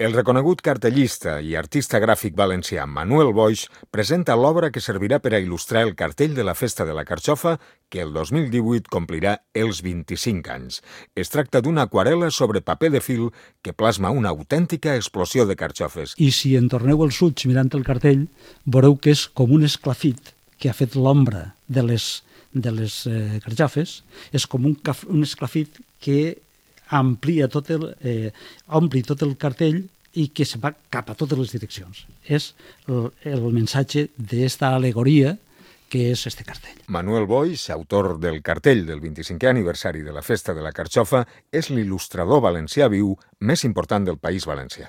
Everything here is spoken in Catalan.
El reconegut cartellista i artista gràfic valencià Manuel Boix presenta l'obra que servirà per a il·lustrar el cartell de la Festa de la Carxofa que el 2018 complirà els 25 anys. Es tracta d'una aquarel·la sobre paper de fil que plasma una autèntica explosió de carxofes. I si en torneu els ulls mirant el cartell, veureu que és com un esclafit que ha fet l'ombra de les carxofes, és com un esclafit que ompli tot el cartell i que se va cap a totes les direccions. És el missatge d'esta al·legoria que és este cartell. Manuel Boix, autor del cartell del 25è aniversari de la Festa de la Carxofa, és l'il·lustrador valencià viu més important del País Valencià.